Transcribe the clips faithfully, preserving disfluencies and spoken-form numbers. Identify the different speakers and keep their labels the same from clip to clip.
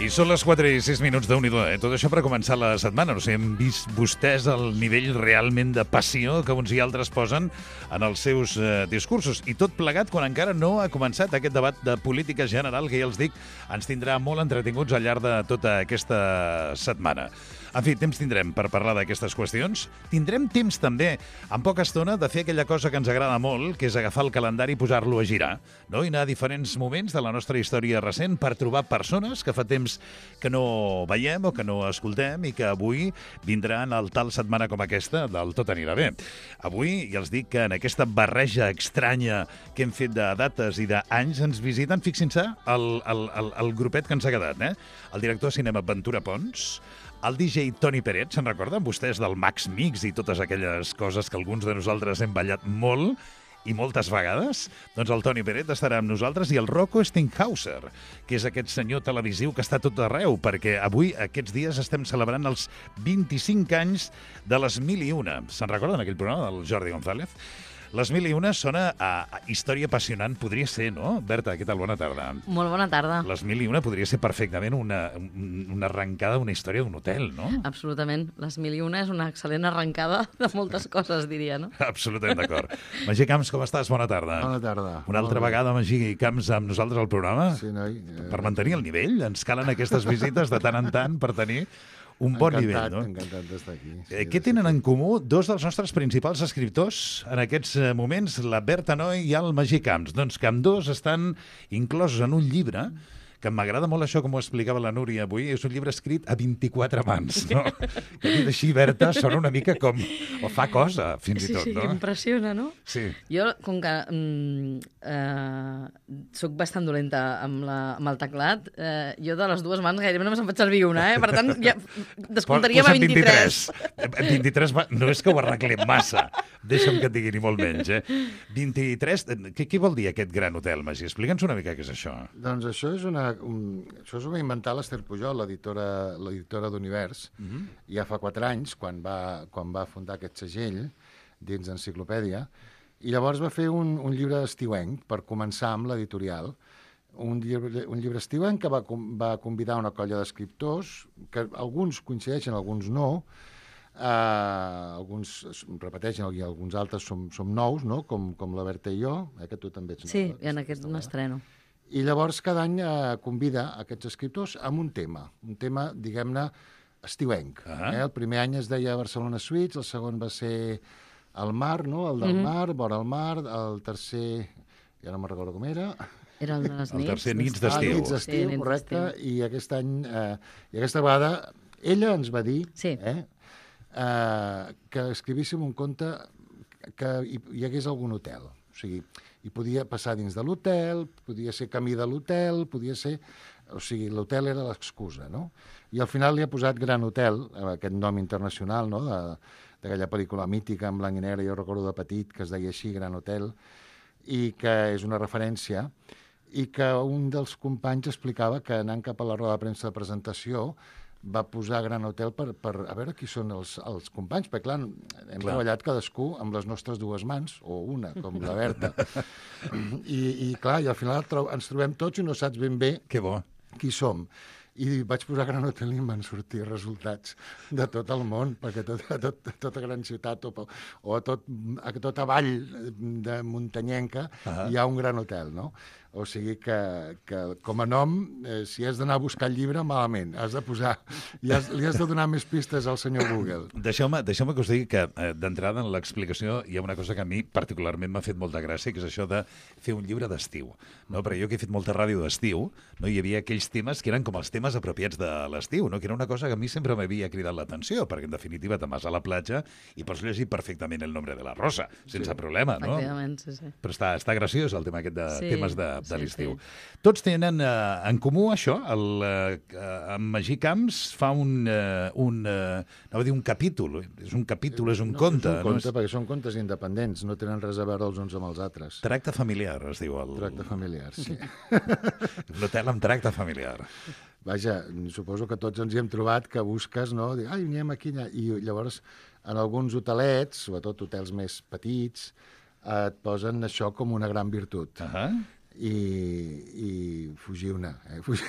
Speaker 1: I són les quatre i sis minuts d'un i do, eh? Tot això per començar la setmana. No sé, hem vist vostès el nivell realment de passió que uns i altres posen en els seus eh, discursos. I tot plegat quan encara no ha començat aquest debat de política general que, ja els dic, ens tindrà molt entretinguts al llarg de tota aquesta setmana. En fi, temps tindrem per parlar d'aquestes qüestions. Tindrem temps també, en poca estona, de fer aquella cosa que ens agrada molt, que és agafar el calendari i posar-lo a girar, no? I anar a diferents moments de la nostra història recent per trobar persones que fa temps que no veiem o que no escoltem i que avui vindran al tal setmana com aquesta del Tot anirà bé. Avui, ja els dic que en aquesta barreja estranya que hem fet de dates i d'anys ens visiten, fixin-se, el, el, el, el grupet que ens ha quedat, eh? El director de cinema Ventura Pons, el D J Toni Peret, se'n recorden vostès del Max Mix i totes aquelles coses que alguns de nosaltres hem ballat molt i moltes vegades? Doncs el Toni Peret estarà amb nosaltres i el Rocco Stinghauser, que és aquest senyor televisiu que està tot arreu, perquè avui, aquests dies, estem celebrant els vint-i-cinc anys de Les Mil i Una. Se'n recorden aquell programa del Jordi González? Les Mil i Una sona a, a història apassionant, podria ser, no? Berta, què tal? Bona tarda.
Speaker 2: Molt bona tarda.
Speaker 1: Les Mil i Una podria ser perfectament una, una arrencada d'una història d'un hotel, no?
Speaker 2: Absolutament. Les Mil i Una és una excel·lent arrencada de moltes coses, diria, no?
Speaker 1: Absolutament d'acord. Magí Camps, com estàs? Bona tarda.
Speaker 3: Bona tarda.
Speaker 1: Una altra
Speaker 3: Bona
Speaker 1: vegada, Magí Camps, amb nosaltres al programa?
Speaker 3: Sí, noi. Eh...
Speaker 1: Per mantenir el nivell. Ens calen aquestes visites de tant en tant per tenir un bon
Speaker 3: encantat,
Speaker 1: nivell, no?
Speaker 3: Encantat d'estar aquí. Sí,
Speaker 1: eh, què tenen en comú dos dels nostres principals escriptors en aquests moments, la Berta Noy i el Magí Camps? Doncs que ambdós estan inclosos en un llibre que m'agrada molt això, com ho explicava la Núria avui, és un llibre escrit a vint-i-quatre mans, no? Que dit així, Berta, sona una mica com... o fa cosa, fins
Speaker 2: sí,
Speaker 1: i tot,
Speaker 2: sí,
Speaker 1: no?
Speaker 2: Sí, impressiona, no?
Speaker 1: Sí.
Speaker 2: Jo, com que mm, eh, soc bastant dolenta amb, la, amb el teclat, eh, jo de les dues mans gairebé només em faig servir una, eh? Per tant, ja descomptaríem a vint-i-tres.
Speaker 1: vint-i-tres. vint-i-tres, no és que ho arreglem massa, deixa'm que et digui ni molt menys, eh? vint-i-tres, què, què vol dir aquest gran hotel, Magí? Explica'ns una mica què és això.
Speaker 3: Doncs això és una... Un, això s'ho va inventar l'Ester Pujol, l'editora d'Univers, mm-hmm. ja fa quatre anys, quan va, quan va fundar aquest segell dins d'Enciclopèdia, i llavors va fer un, un llibre estiuenc per començar amb l'editorial. Un llibre, un llibre estiuenc que va, va convidar una colla d'escriptors, que alguns coincideixen, alguns no, uh, alguns repeteixen i alguns altres som, som nous, no? com, com la Berta i jo, eh, que tu també ets nova.
Speaker 2: Sí, i en aquest m'estreno.
Speaker 3: I llavors cada any eh, convida aquests escriptors amb un tema, un tema, diguem-ne, estiuenc. Uh-huh. eh? El primer any es deia Barcelona Suites, el segon va ser el mar, no? el del uh-huh. mar, vora el mar, el tercer, ja no me'n recordo com era...
Speaker 2: Era el de les nits.
Speaker 1: El tercer nits d'estiu.
Speaker 3: Ah, nits d'estiu,
Speaker 2: sí,
Speaker 3: correcte, i aquest any, eh, i aquesta vegada, ella ens va dir
Speaker 2: sí.
Speaker 3: eh, eh, que escrivíssim un conte que hi, hi hagués algun hotel. O sigui, i podia passar dins de l'hotel, podia ser camí de l'hotel, podia ser... O sigui, l'hotel era l'excusa, no? I al final li ha posat Gran Hotel, aquest nom internacional, no?, d'aquella pel·lícula mítica en blanc i negre, jo recordo de petit, que es deia així, Gran Hotel, i que és una referència, i que un dels companys explicava que anant cap a la roda de premsa de presentació va posar Gran Hotel per, per a veure qui són els, els companys, perquè clar, hem clar. treballat cadascú amb les nostres dues mans, o una, com la Berta, I, i clar, i al final tro ens trobem tots i no saps ben bé
Speaker 1: que bo.
Speaker 3: Qui som. I vaig posar Gran Hotel i em van sortir resultats de tot el món, perquè tot, a, tot, a tota gran ciutat o, o a, tot, a tota vall de muntanyenca uh-huh. hi ha un Gran Hotel, no? O sigui que, que com a nom, eh, si has d'anar a buscar el llibre, malament. Has de posar... I has, li has de donar més pistes al senyor Google.
Speaker 1: Deixeu-me deixeu que us digui que, eh, d'entrada, en l'explicació hi ha una cosa que a mi particularment m'ha fet molta gràcia, que és això de fer un llibre d'estiu. No? Perquè jo que he fet molta ràdio d'estiu, no? Hi havia aquells temes que eren com els temes apropiats de l'estiu, no? Que era una cosa que a mi sempre m'havia cridat l'atenció, perquè en definitiva te'n vas a la platja i pots llegir perfectament El nombre de la rosa, sense sí. problema, no?
Speaker 2: Sí, sí.
Speaker 1: Però està, està graciós el tema aquest de
Speaker 2: sí,
Speaker 1: temes de, de
Speaker 2: sí,
Speaker 1: l'estiu.
Speaker 2: Sí.
Speaker 1: Tots tenen eh, en comú això, el, eh, en Magí Camps fa un, eh, un, eh, no va dir un capítol, és un capítol, és un
Speaker 3: no,
Speaker 1: conte.
Speaker 3: És un conte,
Speaker 1: no és...
Speaker 3: perquè són contes independents, no tenen res a veure els uns amb els altres.
Speaker 1: Tracte familiar, es diu. El...
Speaker 3: Tracte familiar, sí.
Speaker 1: L'hotel amb tracte familiar.
Speaker 3: Vaja, suposo que tots ens hi hem trobat que busques, no? Dic, ai, anem aquí, allà. I llavors, en alguns hotelets, sobretot hotels més petits, et posen això com una gran virtut.
Speaker 1: Uh -huh.
Speaker 3: i, i fugiu-ne. Eh? Fugi...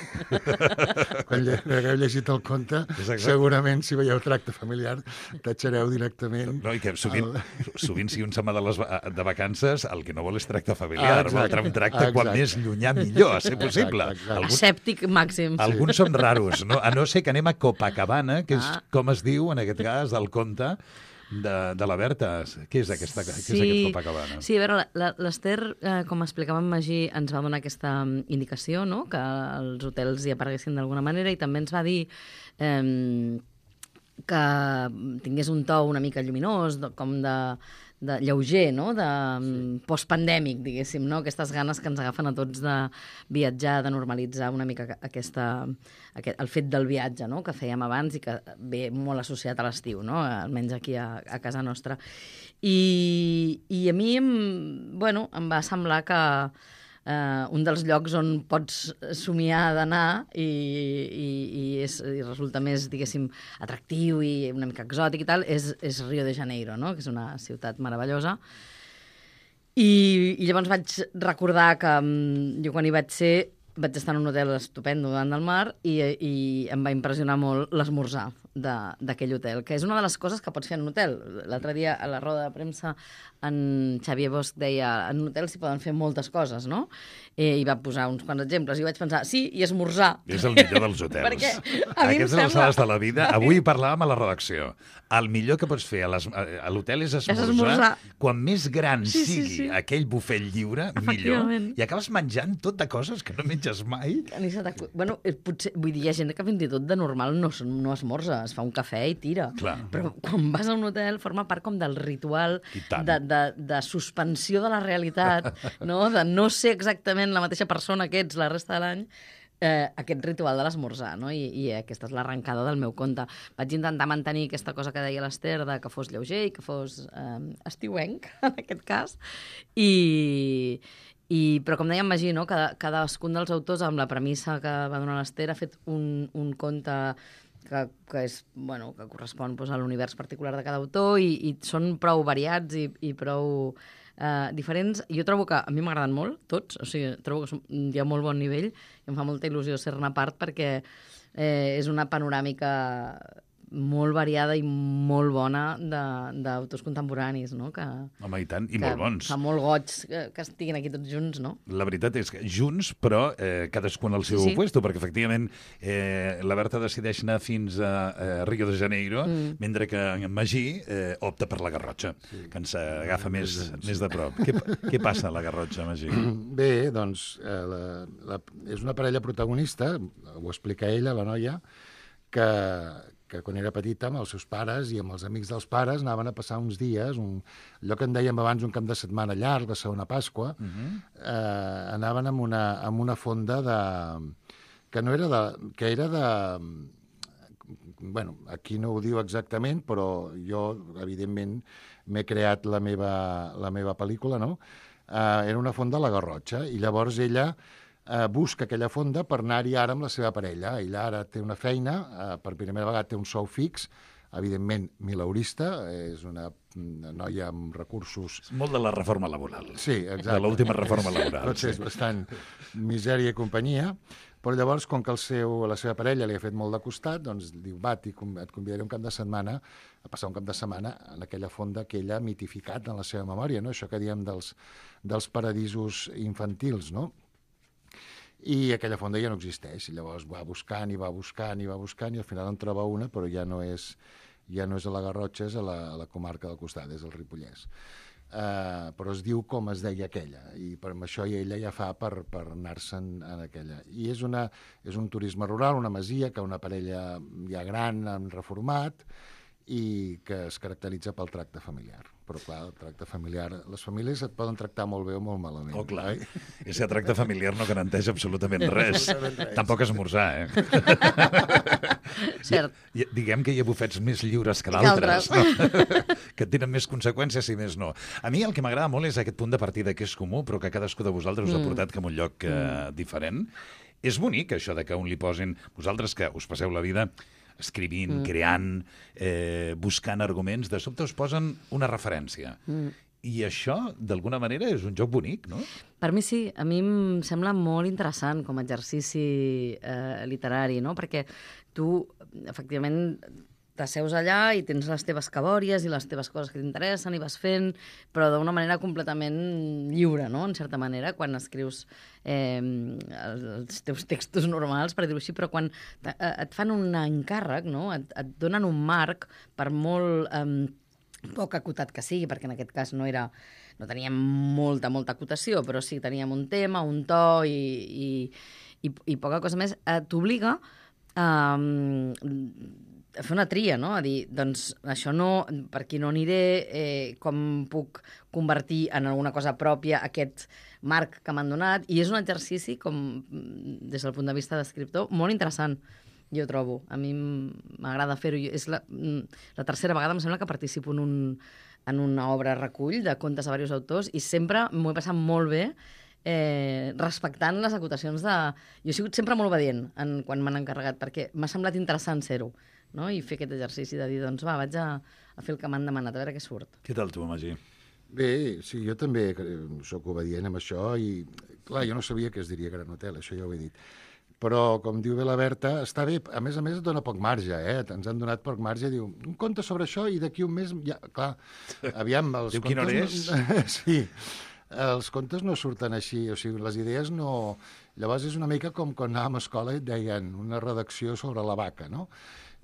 Speaker 3: Quan lle... hagueu llegit el conte, segurament, si veieu Tracte familiar, tatxareu directament...
Speaker 1: No, i que sovint, el... sovint si un se'n va de, les, de vacances, el que no vol és tracte familiar, ah, vol un tracte quan més llunyà millor, a ser possible.
Speaker 2: Exacte, exacte. Alguns, Escèptic màxim.
Speaker 1: Alguns són raros, no? A no ser que anem a Copacabana, que és, ah. com es diu, en aquest cas, del conte, De, de la Berta. Què és, aquesta, sí, què és aquest Copacabana?
Speaker 2: Sí, a veure, l'Ester, eh, com explicava en Magí, ens va donar aquesta indicació, no?, que els hotels hi apareguessin d'alguna manera, i també ens va dir eh, que tingués un to una mica lluminós, com de, de lleuger, no?, de sí. postpandèmic, diguéssim, no?, aquestes ganes que ens agafen a tots de viatjar, de normalitzar una mica aquesta, aquest, el fet del viatge, no?, que fèiem abans i que ve molt associat a l'estiu, no?, almenys aquí a, a casa nostra. I, i a mi, bueno, em va semblar que Uh, un dels llocs on pots somiar d'anar i, i, i, és, i resulta més, diguéssim, atractiu i una mica exòtic i tal, és, és Rio de Janeiro, no?, que és una ciutat meravellosa. I, i llavors vaig recordar que um, jo quan hi vaig ser vaig estar en un hotel estupendo davant del mar i, i em va impressionar molt l'esmorzar d'aquell hotel, que és una de les coses que pots fer en un hotel. L'altre dia, a la roda de premsa, en Xavier Bosch deia en un hotel s'hi poden fer moltes coses, no? Eh, I va posar uns quants exemples. I vaig pensar, sí, i esmorzar.
Speaker 1: És el millor dels hotels.
Speaker 2: Perquè a mi em
Speaker 1: sembla... Aquestes de la vida. Avui parlàvem a la redacció. El millor que pots fer a l'hotel és esmorzar.
Speaker 2: És esmorzar.
Speaker 1: Quan més gran
Speaker 2: sí, sí,
Speaker 1: sigui
Speaker 2: sí.
Speaker 1: aquell bufet lliure, millor. I acabes menjant tot de coses que no menges mai.
Speaker 2: Bueno, potser, vull dir, hi ha gent que fins i tot de normal no, no esmorza, es fa un cafè i tira.
Speaker 1: Clar.
Speaker 2: Però quan vas a un hotel forma part com del ritual de, de, de suspensió de la realitat, no? De no ser exactament la mateixa persona que ets la resta de l'any, eh, aquest ritual de l'esmorzar, no? I, i aquesta és l'arrencada del meu conte. Vaig intentar mantenir aquesta cosa que deia l'Ester, de que fos lleuger i que fos eh, estiuenc, en aquest cas, i... I, però com deia en Magí, no? Cada, cadascun dels autors, amb la premissa que va donar l'Ester, ha fet un, un conte que, que, és, bueno, que correspon doncs, a l'univers particular de cada autor i, i són prou variats i, i prou eh, diferents. Jo trobo que a mi m'agraden molt, tots, o sigui, trobo que som, hi ha molt bon nivell i em fa molta il·lusió ser-ne part perquè eh, és una panoràmica molt variada i molt bona d'autors contemporanis, no? Que,
Speaker 1: Home, i tant, i molt bons.
Speaker 2: Fa molt goig que, que estiguin aquí tots junts, no?
Speaker 1: La veritat és que junts, però eh, cadascun al seu sí, sí. puesto, perquè efectivament eh, la Berta decideix anar fins a eh, Rio de Janeiro, mm. mentre que en Magí eh, opta per la Garrotxa, sí. que ens agafa més, sí. més de prop. Què, què passa a la Garrotxa, Magí?
Speaker 3: Bé, doncs, eh, la, la, és una parella protagonista, ho explica ella, la noia, que que quan era petita amb els seus pares i amb els amics dels pares anaven a passar uns dies, un, allò que en dèiem abans un cap de setmana llarg, la segona Pasqua, uh-huh. eh, anaven amb una, amb una fonda de... que no era de... que era de... Bueno, aquí no ho diu exactament, però jo, evidentment, m'he creat la meva, la meva pel·lícula, no? Eh, era una fonda a la Garrotxa, i llavors ella... Uh, busca aquella fonda per anar-hi ara amb la seva parella. Ella ara té una feina, uh, per primera vegada té un sou fix, evidentment mileurista, és una, una noia amb recursos...
Speaker 1: És molt de la reforma laboral.
Speaker 3: Sí, exacte.
Speaker 1: De l'última reforma laboral.
Speaker 3: Potser és bastant misèria i companyia, però llavors, com que el seu, la seva parella li ha fet molt de costat, doncs diu, va, et convidaré un cap de setmana a passar un cap de setmana en aquella fonda que ella ha mitificat en la seva memòria, no? Això que diem dels, dels paradisos infantils, no? I aquella fonda ja no existeix, i llavors va buscant i va buscant i va buscant i al final en troba una, però ja no és, ja no és a la Garrotxa, és a la, a la comarca del costat, és el Ripollès. Uh, però es diu com es deia aquella, i per això ella ja fa per, per anar-se'n en aquella. I és, una, és un turisme rural, una masia, que una parella ja gran han reformat, i que es caracteritza pel tracte familiar. Però, clar, el tracte familiar... Les famílies et poden tractar molt bé o molt malament.
Speaker 1: Oh, clar. Eh? I si el tracte familiar no garanteix absolutament res. res. Tampoc esmorzar, eh?
Speaker 2: Cert.
Speaker 1: I, diguem que hi ha bufets més lliures que d'altres, no? Que tenen més conseqüències i més no. A mi el que m'agrada molt és aquest punt de partida que és comú, però que cadascú de vosaltres us ha portat cap a un lloc eh, mm. diferent. És bonic, això de que un li posin... Vosaltres que us passeu la vida escrivint, mm. creant, eh, buscant arguments, de sobte us posen una referència. Mm. I això, d'alguna manera, és un joc bonic, no?
Speaker 2: Per mi sí, a mi em sembla molt interessant com a exercici eh, literari, no? Perquè tu, efectivament, t'asseus allà i tens les teves cabòries i les teves coses que t'interessen i vas fent, però d'una manera completament lliure, no?, en certa manera, quan escrius eh, els teus textos normals, per dir-ho així, però quan et fan un encàrrec, no?, et, et donen un marc, per molt eh, poc acotat que sigui, perquè en aquest cas no era... no teníem molta, molta acotació, però sí teníem un tema, un to i, i, i, i poca cosa més, eh, t'obliga a... Eh, a fer una tria, no? A dir, doncs, això no, per aquí no aniré, eh, com puc convertir en alguna cosa pròpia aquest marc que m'han donat, i és un exercici, com des del punt de vista d'escriptor, molt interessant, jo trobo. A mi m'agrada fer-ho. És la, la tercera vegada, em sembla, que participo en, un, en una obra recull de contes de diversos autors, i sempre m'ho he passat molt bé eh, respectant les acotacions de... Jo he sigut sempre molt obedient en, quan m'han encarregat, perquè m'ha semblat interessant ser-ho, no? I fer aquest exercici de dir, doncs va, vaig a, a fer el que m'han demanat, a veure què surt.
Speaker 1: Què tal tu, Magí?
Speaker 3: Bé, sí, jo també sóc obedient amb això i, clar, jo no sabia que es diria Gran Hotel, això ja ho he dit. Però, com diu bé la Berta, està bé. A més a més, et dona poc marge, eh? Ens han donat poc marge. Diu, un conte sobre això i d'aquí un mes... Ja, clar, aviam, els
Speaker 1: diu,
Speaker 3: contes...
Speaker 1: quina hora és?
Speaker 3: Sí, els contes no surten així, o sigui, les idees no... Llavors és una mica com quan anàvem a escola i et deien una redacció sobre la vaca, no?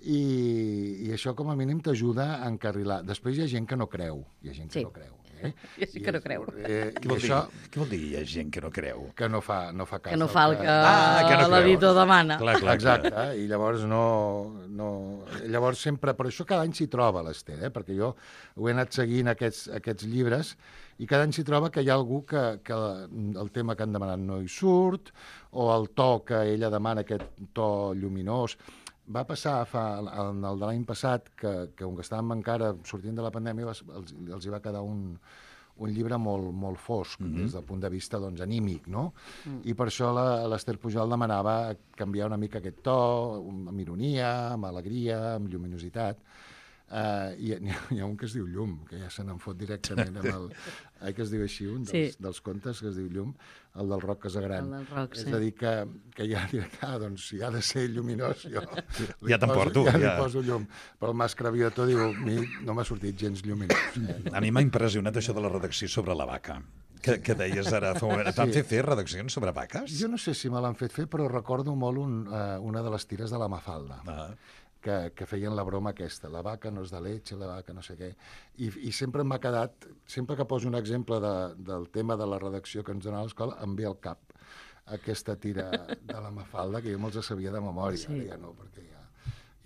Speaker 3: I, i això com a mínim t'ajuda a encarrilar. Després hi ha gent que no creu, hi ha gent que
Speaker 2: sí.
Speaker 3: no creu. Eh?
Speaker 2: Jo sí que no creu.
Speaker 3: Eh,
Speaker 1: Què vol,
Speaker 3: això,
Speaker 1: dir? Què vol dir hi ha gent que no creu?
Speaker 3: que no fa, no fa cas.
Speaker 2: Que no fa el que,
Speaker 1: Ah, que no creu.
Speaker 2: l'editor demana.
Speaker 1: Clar, clar,
Speaker 3: Exacte,
Speaker 1: clar.
Speaker 3: i llavors no, no... Llavors sempre... Per això cada any s'hi troba l'Ester, eh? Perquè jo ho he anat seguint aquests, aquests llibres i cada any s'hi troba que hi ha algú que, que el tema que han demanat no hi surt, o el to que ella demana, aquest to lluminós. Va passar fa, en el de l'any passat que, que com que estàvem encara sortint de la pandèmia els, els, els hi va quedar un, un llibre molt, molt fosc, mm -hmm. des del punt de vista doncs, anímic, no? Mm. I per això l'Ester Pujol demanava canviar una mica aquest to, amb ironia, amb alegria, amb lluminositat. Uh, i hi ha, hi ha un que es diu Llum, que ja se n'en fot directament amb el... Eh, que es diu així, un dels, sí. dels contes que es diu Llum, el del Roc Casagran.
Speaker 2: El del Roc,
Speaker 3: és
Speaker 2: sí.
Speaker 3: a dir, que, que ja diré, ah, doncs si ha de ser lluminós, jo
Speaker 1: ja t'emporto.
Speaker 3: Ja, ja
Speaker 1: li
Speaker 3: poso llum. Però el Mas Cravioto diu, a mi no m'ha sortit gens lluminós. Eh? No.
Speaker 1: A mi m'ha impressionat això de la redacció sobre la vaca. Que, que deies ara fa un moment. Et van
Speaker 3: Sí.
Speaker 1: fer fer redaccions sobre vaques?
Speaker 3: Jo no sé si me l'han fet fer, però recordo molt un, uh, una de les tires de la Mafalda.
Speaker 1: Ah.
Speaker 3: Que, que feien la broma aquesta, la vaca no és de leche, la vaca no sé què, i, i sempre m'ha quedat, sempre que poso un exemple de, del tema de la redacció que ens donava a l'escola, em ve al cap aquesta tira de la Mafalda, que jo me'ls sabia de memòria, sí. Ara ja no, perquè ja,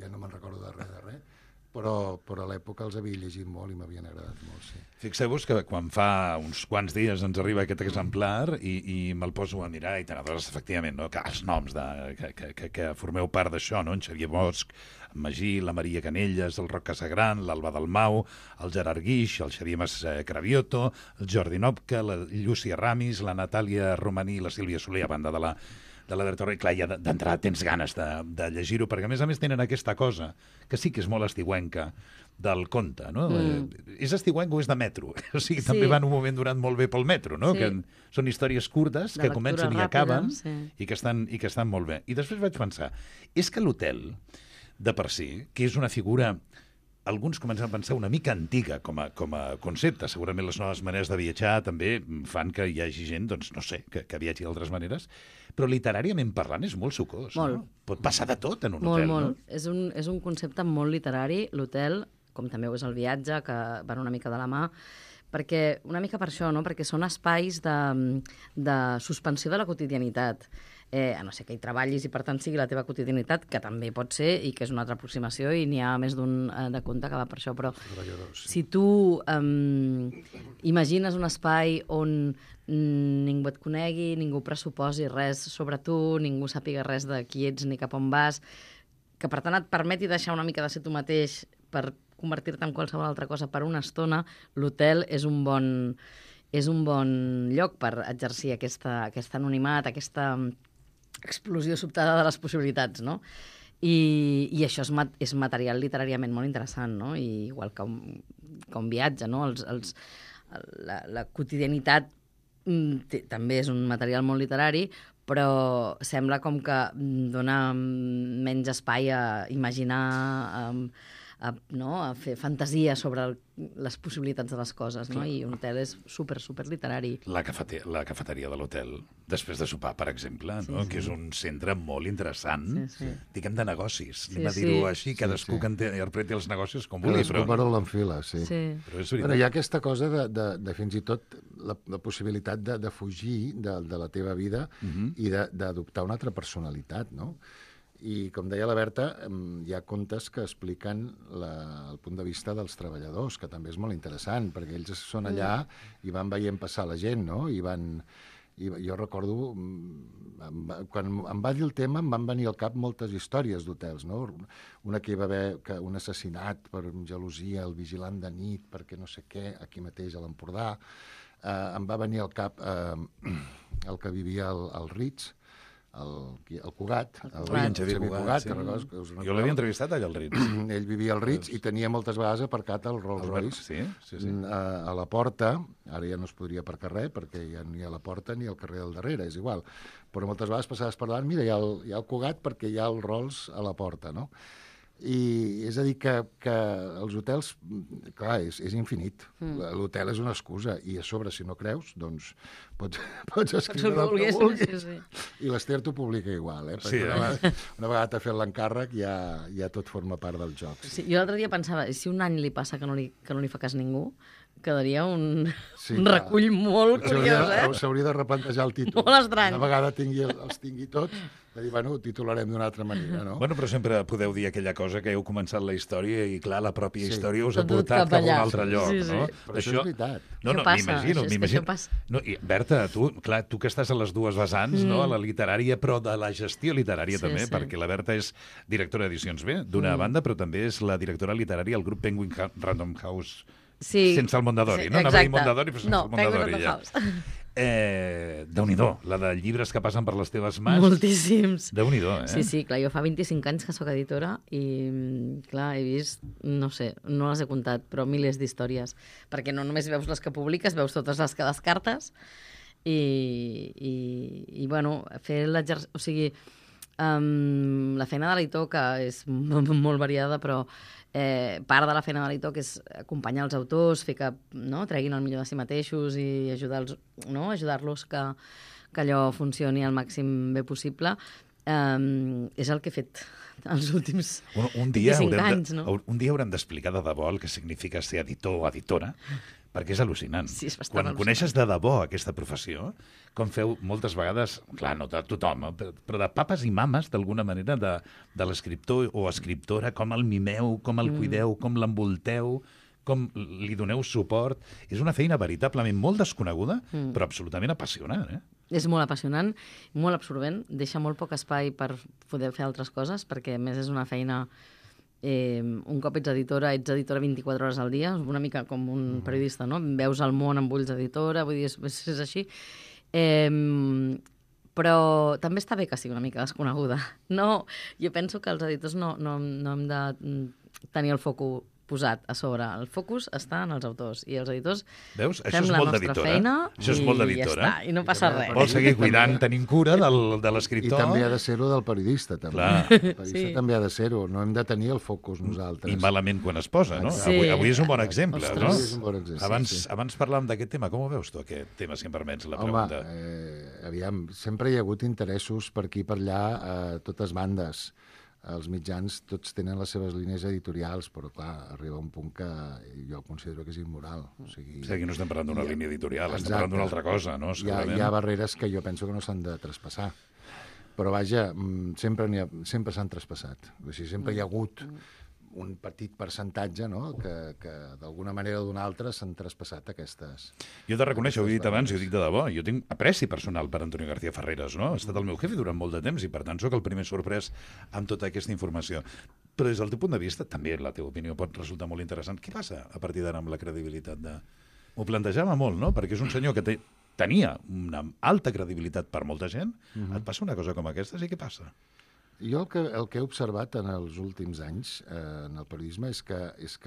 Speaker 3: ja no me'n recordo de res de res, però, però a l'època els havia llegit molt i m'havien agradat molt, sí.
Speaker 1: Fixeu-vos que quan fa uns quants dies ens arriba aquest exemplar i, i me'l poso a mirar i tant, doncs, efectivament, no? Que els noms de, que, que, que, que formeu part d'això, no? En Xavier Bosch, en Magí, la Maria Canelles, el Roc Casagran, l'Alba Dalmau, el Gerard Guix, el Xavier Mas Cravioto, el Jordi Nopca, la Llúcia Ramis, la Natàlia Romaní i la Sílvia Soler, a banda de la de la Berta Torre, clar, ja d'entrada tens ganes de, de llegir-ho, perquè a més a més tenen aquesta cosa, que sí que és molt estiuenca, del conte, no? Mm. Eh, és estiuenc o és de metro? O sigui, sí. També van un moment durant molt bé pel metro, no? Sí. Que són històries curtes, de que comencen ràpida, i acaben, sí. i, que estan, i que estan molt bé. I després vaig pensar, és que l'hotel, de per si, que és una figura... Alguns comencen a pensar una mica antiga com a, com a concepte. Segurament les noves maneres de viatjar també fan que hi hagi gent, doncs, no sé, que, que viatgi d'altres maneres, però literàriament parlant és molt sucós.
Speaker 2: Molt.
Speaker 1: No? Pot passar de tot en un
Speaker 2: molt,
Speaker 1: hotel,
Speaker 2: molt.
Speaker 1: no?
Speaker 2: És un, és un concepte molt literari, l'hotel, com també ho és el viatge, que van una mica de la mà, perquè, una mica per això, no? Perquè són espais de, de suspensió de la quotidianitat. Eh, a no ser que hi treballis i per tant sigui la teva quotidianitat, que també pot ser i que és una altra aproximació i n'hi ha més d'un eh, de conte que va per això, però sí. Si tu eh, imagines un espai on ningú et conegui, ningú pressuposi res sobre tu, ningú sàpiga res de qui ets ni cap on vas, que per tant et permeti deixar una mica de ser tu mateix per convertir-te en qualsevol altra cosa per una estona, l'hotel és un bon, és un bon lloc per exercir aquesta, aquest anonimat, aquesta explosió sobtada de les possibilitats, no? I, i això és, mat, és material literàriament molt interessant, no? I igual que un, que un viatge, no? Els, els, la, la quotidianitat mm, té, també és un material molt literari, però sembla com que mm, dona mm, menys espai a imaginar, a, a, no? a fer fantasia sobre el, les possibilitats de les coses, no? I un hotel és super, super literari.
Speaker 1: La, cafete la cafeteria de l'hotel, després de sopar, per exemple, no? Sí, sí. Que és un centre molt interessant, sí, sí. diguem, de negocis. Sí, Anem a dir-ho sí. així, cadascú sí, sí. que interpreti els negocis com vulgui.
Speaker 3: Cadascú però... l'enfila, sí.
Speaker 2: sí.
Speaker 1: Però és
Speaker 3: bueno, hi ha aquesta cosa de, de, de fins i tot la, la possibilitat de, de fugir de, de la teva vida uh -huh. i d'adoptar una altra personalitat, no? I, com deia la Berta, hi ha contes que expliquen la, el punt de vista dels treballadors, que també és molt interessant, perquè ells són allà i van veient passar la gent, no? I van... I jo recordo, quan em va dir el tema, em van venir al cap moltes històries d'hotels, no? Una que hi va haver que un assassinat per gelosia, el vigilant de nit, perquè no sé què, aquí mateix a l'Empordà. Eh, em va venir al cap eh, el que vivia al, al Ritz, el, el Cugat, el,
Speaker 1: el, el Xavier Cugat, Cugat sí.
Speaker 3: que recordes, que us
Speaker 1: jo l'havia entrevistat allà al Ritz.
Speaker 3: Ell vivia al Ritz i tenia moltes vegades aparcat el Rolls Royce
Speaker 1: sí, sí, sí.
Speaker 3: A, a la porta. Ara ja no es podria aparcar res perquè ja ni a la porta ni al carrer del darrere, és igual. Però moltes vegades passaves per davant, mira, hi ha el, hi ha el Cugat perquè hi ha el Rolls a la porta, no? I és a dir, que, que els hotels, clar, és, és infinit. Mm. L'hotel és una excusa, i a sobre, si no creus, doncs pots, pots escriure el que vulguis. Sí, sí. I l'Ester t'ho publica igual, eh? Perquè sí, una, eh? una vegada t'ha fet l'encàrrec ja, ja tot forma part del joc.
Speaker 2: Sí, jo l'altre dia pensava, si un any li passa que no li, que no li fa cas ningú, quedaria un, sí, un recull molt curiós, eh?
Speaker 3: S'hauria de replantejar el títol.
Speaker 2: Molt estrany.
Speaker 3: Una vegada tingui, els tingui tots, de dir, bueno, ho titularem d'una altra manera, no?
Speaker 1: Bueno, però sempre podeu dir aquella cosa que heu començat la història i, clar, la pròpia sí. història us ha portat cap, cap a un altre lloc, sí, sí. no?
Speaker 3: Però això, això és veritat.
Speaker 1: No, no, m'imagino, m'imagino. No, i Berta, tu, clar, tu que estàs a les dues vessants, mm. no? A la literària, però de la gestió literària sí, també, sí. perquè la Berta és directora d'Edicions B, d'una mm. banda, però també és la directora literària al grup Penguin Random House, sí. sense el Mondadori, sí, no? Anava a dir Mondadori, però sense
Speaker 2: no,
Speaker 1: el Mondadori, ja. Eh, Déu-n'hi-do, la de llibres que passen per les teves mans.
Speaker 2: Moltíssims.
Speaker 1: Déu-n'hi-do, eh?
Speaker 2: Sí, sí, clar, jo fa vint-i-cinc anys que sóc editora i, clar, he vist, no sé, no les he comptat, però milers d'històries, perquè no només veus les que publiques, veus totes les que descartes i, i, i bueno, fer l'exercici... O sigui, um, la feina de l'editor, que és molt variada, però Eh, part de la feina de l'editor, que és acompanyar els autors, fer que no, treguin el millor de si mateixos i ajudar-los no, ajudar-los que, que allò funcioni al màxim bé possible, eh, és el que he fet els últims
Speaker 1: un, un dia
Speaker 2: vint-i-cinc
Speaker 1: haurem
Speaker 2: anys.
Speaker 1: De,
Speaker 2: no?
Speaker 1: Un dia haurem d'explicar de debò el que significa ser editor o editora, perquè és al·lucinant.
Speaker 2: Sí, és
Speaker 1: Quan
Speaker 2: al·lucinant.
Speaker 1: Coneixes de debò aquesta professió, com feu moltes vegades, clar, no de tothom, però de papes i mames, d'alguna manera, de, de l'escriptor o escriptora, com el mimeu, com el cuideu, mm. com l'envolteu, com li doneu suport. És una feina veritablement molt desconeguda, mm. però absolutament apassionant, eh?
Speaker 2: És molt apassionant, molt absorbent, deixa molt poc espai per poder fer altres coses, perquè a més és una feina... Eh, un cop ets editora, ets editora vint-i-quatre hores al dia, una mica com un periodista, no? Veus el món amb ulls d'editora, vull dir, és, és així. Eh, però també està bé que sigui una mica desconeguda. No, jo penso que els editors no, no, no hem de tenir el foco posat a sobre. El focus està en els autors i els editors
Speaker 1: Veus? Això
Speaker 2: fem
Speaker 1: és
Speaker 2: la
Speaker 1: molt
Speaker 2: nostra
Speaker 1: d'editora.
Speaker 2: feina
Speaker 1: Això és
Speaker 2: i
Speaker 1: molt
Speaker 2: ja
Speaker 1: d'editora.
Speaker 2: està, i no passa res.
Speaker 1: Vol seguir cuidant, tenint cura del, de l'escriptor.
Speaker 3: I també ha de ser-ho del periodista, també.
Speaker 1: Clar.
Speaker 3: El periodista sí. també ha de ser-ho. No hem de tenir el focus nosaltres.
Speaker 1: I malament quan es posa, no?
Speaker 2: Sí.
Speaker 1: Avui, avui és un bon exemple,
Speaker 2: Ostres.
Speaker 1: no?
Speaker 3: Avui és un bon exemple,
Speaker 1: abans,
Speaker 3: sí, sí.
Speaker 1: abans parlàvem d'aquest tema. Com ho veus tu, aquest tema, si em permets la
Speaker 3: Home,
Speaker 1: pregunta?
Speaker 3: eh, aviam, sempre hi ha hagut interessos per aquí i per allà a totes bandes. Els mitjans tots tenen les seves línies editorials, però, clar, arriba un punt que jo considero que és immoral. O sigui,
Speaker 1: sí, aquí no estem parlant d'una
Speaker 3: ha,
Speaker 1: línia editorial,
Speaker 3: exacte,
Speaker 1: estem parlant d'una altra cosa, no?
Speaker 3: Hi ha, hi ha barreres que jo penso que no s'han de traspassar. Però, vaja, sempre n'hi ha, sempre s'han traspassat. O sigui, sempre hi ha hagut un petit percentatge, no?, que, que d'alguna manera o d'una altra s'han traspassat aquestes...
Speaker 1: Jo he de reconèixer, ho he dit abans i ho dic de debò, jo tinc apreci personal per Antonio García Ferreras, no? Ha estat el meu jefe durant molt de temps i, per tant, sóc el primer sorprès amb tota aquesta informació. Però des del teu punt de vista, també la teva opinió pot resultar molt interessant. Què passa a partir d'ara amb la credibilitat de... M'ho plantejava molt, no? Perquè és un senyor que té, tenia una alta credibilitat per molta gent. Uh-huh. Et passa una cosa com aquesta, sí, què passa?
Speaker 3: Jo el que, el que he observat en els últims anys eh, en el periodisme és que, és que